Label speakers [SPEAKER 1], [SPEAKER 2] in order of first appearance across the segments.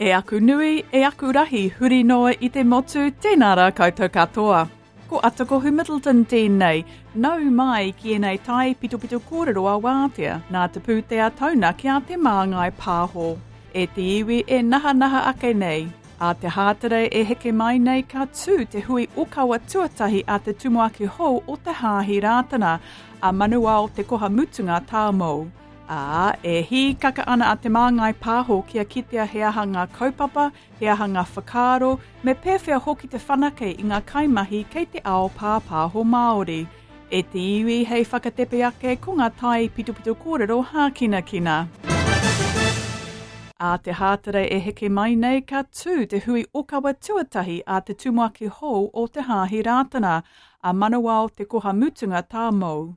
[SPEAKER 1] E aku nui, e aku rahi, huri noa i te motu, tēnā rā koutou katoa. Ko Atakohu Middleton tēnei, nau mai ki ēnei tai pitopito kōrero a Wātea, nā te pūtea taunaki a Te Māngai Pāho. E te iwi e nahanaha ake nei, ā te Hāterei e heke mai nei ka tū te hui okawa tuatahi a te tumuaki hou o Te Hāhi Rātana, a Manuao Te Koha Mutunga Tāmou. Ā, e hīkaka ana a Te Māngai Pāho kia kitea he aha ngā kaupapa, he aha ngā whakaaro, me pēwhea hoki te whanake i ngā kaimahi kei te ao pāpāho Māori. E te iwi hei whakatepe ake ko ngā tai pitopito kōrero hākinakina. Ā te Hāterei e heke mai nei ka tū te hui okawa tuatahi a te tumuaki hou o Te Hāhi Rātana, a Manawao Te Koha Mutunga Tāmou.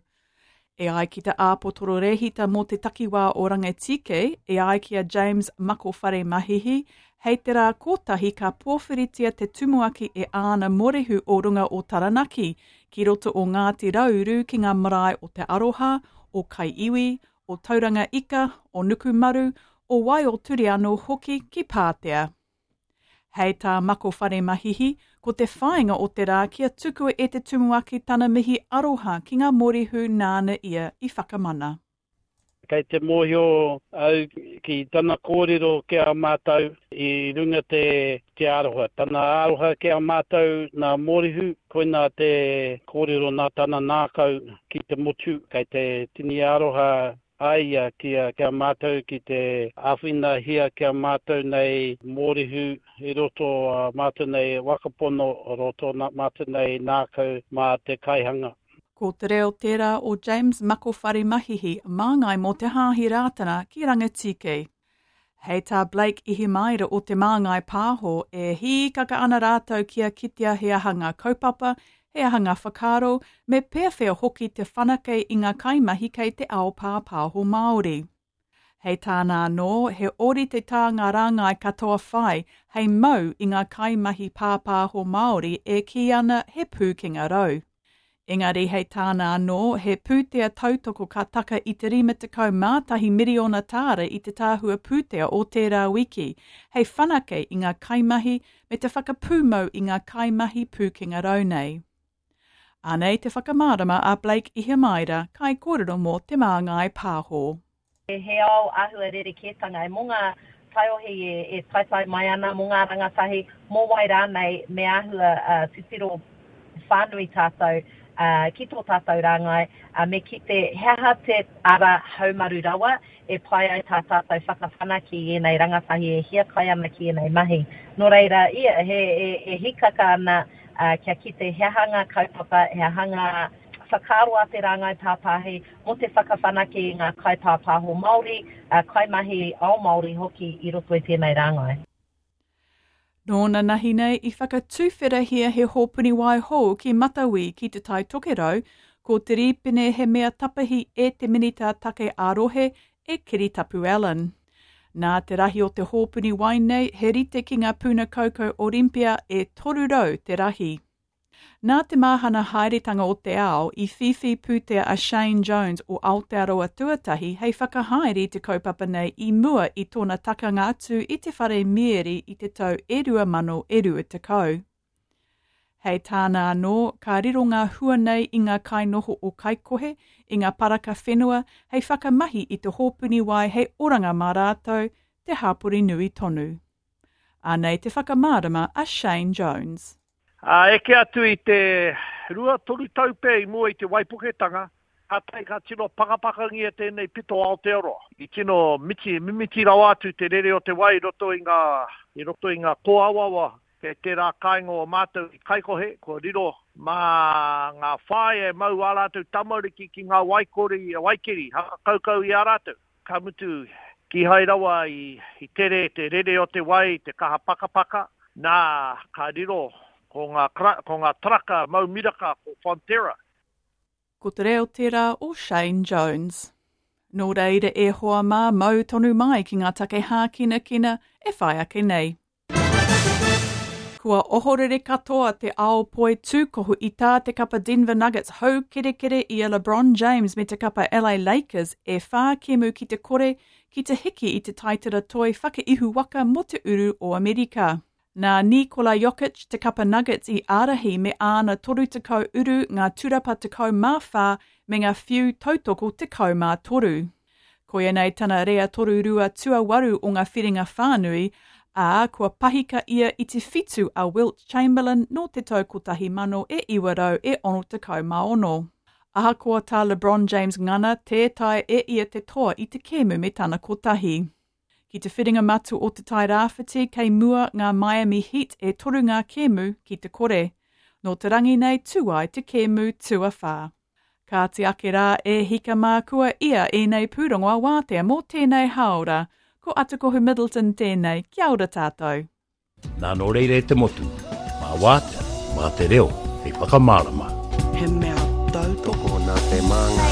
[SPEAKER 1] E ai ki te āpotoro rēhita mō te takiwā o Rangitīkei, e ai ki a James Makowhare Mahihi, hei te rā kotahi ka pōwhiritia te tumuaki e āna morehu o runga o Taranaki, ki roto o Ngāti Rauru ki ngā marae o Te Aroha, o Kai Iwi, o Tauranga Ika, o Nukumaru, o Waioturi anō hoki ki Pātea. Hei tā Mako Wharemahihi, ko te whāinga o te rā kia tukua e te tumuaki tana mihi aroha ki ngā mōrehu nāna ia i whakamana.
[SPEAKER 2] Kei te mōhio au ki tana kōrero ki a mātou i runga te te aroha. Tana aroha ki a mātou nā Mōrehu, koinā te kōrero nā tana nākau ki te motu. Kei te tini aroha a ia ki a ki a mātou ki te āwhinahia ki a mātou nei mōrehu i roto a mātou nei wakapono, roto nā mātou nei nākau mā te kaihanga.
[SPEAKER 1] Ko te reo tērā o James Makowhare Mahihi, māngai mō Te Hāhi Rātana ki Rangitīkei. Hei tā Blake Ihimaera o Te Māngai Pāho, e hīkaka ana rātou kia kitea he aha ngā kaupapa, he aha ngā whakaaro, me pēwhea hoki te whanake i ngā kaimahi kei te ao pāpāho Māori. Hei tāna anō, he ōrite tā ngā rāngai katoa whai hei mau i ngā kaimahi pāpāho Māori e kī ana he pūkenga rau. Engari hei tāna anō, he pūtea tautoko ka taka i te 51 miriona tāra i te tahua pūtea o tērā wiki, hei whanake i ngā kaimahi me te whakapūmau i ngā kaimahi pūkenga rau nei. Anei te whakamārama a Blake Ihimaera, kaikōrero mō Te Māngai Pāho.
[SPEAKER 3] He ao āhua rerekētanga. Mō ngā taiohi e taetae mai ana, mō ngā rangatahi, mō wai rānei, me āhua titiro whānui tātou ki tō tātou rāngai, me kite he aha te ara haumaru rawa e pai ai tā tātou whakawhanake i ēnei rangatahi e hiakai ana ki ēnei mahi. Nō reira, ia, he, e hīkaka ana kia kite he aha ngā kaupapa, he aha ngā whakaaro a te rāngai pāpāhi mō te whakawhanake i ngā kaipāpāho Māori, kaimahi ao Māori hoki i roto i tēnei rāngai.
[SPEAKER 1] Nōna nahi nei i whakatuwherahia he hōpuni wai hou ki Matawi ki Te Tai Tokerau, ko te rīpene he mea tapahi e te Minita Take ā-Rohe e Kiritapu Allan. Nā te rahi o te hōpuni wai nei he rite ki ngā puna kaukau Olympia e 300 te rahi. Nā te mahana haeretanga o te ao i whiwhi pūtea a Shane Jones o Aotearoa Tuatahi hei whakahaere i te kaupapa nei i mua i tōna takanga atu i te whare mieri i te tau e 2020. Hei tāna anō, ka riro ngā hua nei i ngā kainoho o Kaikohe, i ngā paraka whenua hei whakamahi i te hōpuni wai hei oranga mā rātou, te hapori nui tonu. Anei te whakamārama a Shane Jones.
[SPEAKER 4] Ā, eke atu i te rua, toru tau pea i mua i te waipuketanga, kātahi ka tino pakapakangia tēnei pito Aotearoa. I tino miti, mimiti rawa atu te rere o te wai i roto i ngā, i roto i ngā kōawaawa kei tērā kāinga o mātou i Kaikohe, kua riro mā ngā whāea e mau ā rātou tamariki ki ngā waikori, waikeri, haka kaukau i a rātou. Ka mutu, kīhai rawa i tere te rere o te wai, te kaha pakapaka, nā, ka riro ko ngā, ko ngā taraka mau miraka ko Fonterra.
[SPEAKER 1] Ko te reo tērā o Shane Jones. Nō reira e hoa mā, mau tonu mai ki ngā take hākinakina e whai ake nei. Kua ohorere katoa te ao poi tūkohu i tā te kapa Denver Nuggets haukerekere i a LeBron James me te kapa LA Lakers e whā kēmu ki te kore ki te hiki i te taitara toi whakaihu waka mō te uru o Amerika. Nā Nikola Jokic te kapa Nuggets i ārahi me āna 30 uru ngā turapa 14 me ngā whiu tautoko 13. Koia nei tana rea torurua tuawaru o ngā whiringa whānui, ā, kua pahika ia i te whitu a Wilt Chamberlain nō te tau 1966. Ahakoa tā LeBron James ngana, tē taea e ia te toa i te kēmu me tana kotahi. Ki te whiringa matua o Te Tai Rāwhiti kei mua ngā Miami Heat e toru ngā kēmu ki te kore. Nō te rangi nei tū ai te kēmu tuawhā. Kāti ake rā e hika mā kua ia ēnei pūrongo a wātea mō tēnei hāora. Ko Atakohu Middleton tēnei, kia ora tātou.
[SPEAKER 5] Nā nō reira e te motu, mā Wātea, mā te reo hei whakamārama.
[SPEAKER 6] He mea tautoko.
[SPEAKER 7] Tokona te māngai.